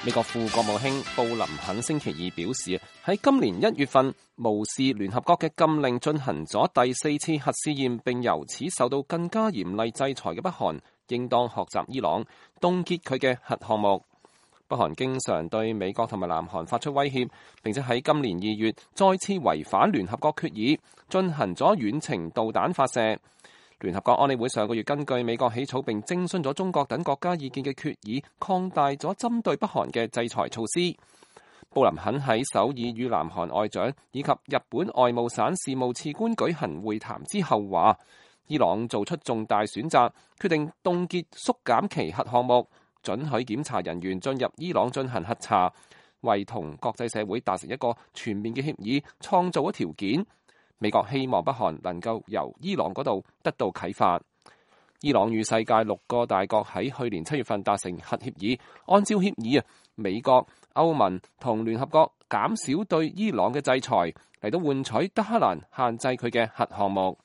美國副國務卿布林肯星期二表示，喺今年1月份無視聯合國嘅禁令進行咗第4次核試驗，並由此受到更加嚴厲制裁嘅北韓，應當學習伊朗，凍結佢嘅核項目。北韓經常對美國同埋南韓發出威脅，並且喺今年2月再次違反聯合國決議，進行咗遠程導彈發射。聯合國安理會上個月根據美國起草並徵詢咗中國等國家意見嘅決議，擴大咗針對北韓嘅制裁措施。布林肯喺首爾與南韓外長以及日本外務省事務次官舉行會談之後話，伊朗做出重大選擇，決定凍結縮減其核項目，准許檢查人員進入伊朗進行核查，為同國際社會達成一個全面嘅協議創造咗條件。美國希望北韓能夠由伊朗嗰度得到啟發。伊朗與世界6個大國喺去年7月份達成核協議，按照協議美國、歐盟同聯合國減少對伊朗嘅制裁，嚟到換取德黑蘭限制佢嘅核項目。